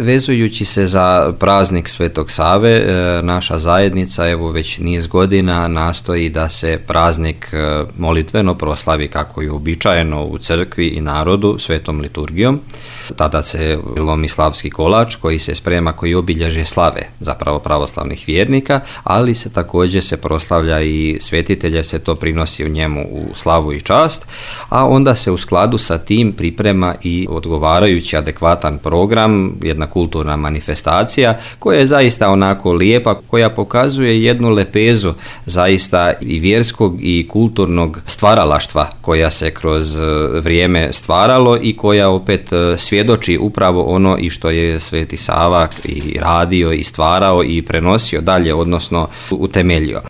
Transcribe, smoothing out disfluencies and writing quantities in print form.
Vezujući se za praznik Svetog Save, naša zajednica evo već niz godina nastoji da se praznik molitveno proslavi kako je uobičajeno u crkvi i narodu svetom liturgijom. Tada se lomi slavski kolač koji se sprema, koji obilježe slave zapravo pravoslavnih vjernika, ali se također se proslavlja i svetitelj jer se to prinosi u njemu u slavu i čast, a onda se u skladu sa tim priprema i odgovarajući adekvatan program, jedna kulturna manifestacija koja je zaista onako lijepa, koja pokazuje jednu lepezu zaista i vjerskog i kulturnog stvaralaštva koja se kroz vrijeme stvaralo i koja opet svjedoči upravo ono i što je Sveti Sava i radio i stvarao i prenosio dalje, odnosno utemeljio.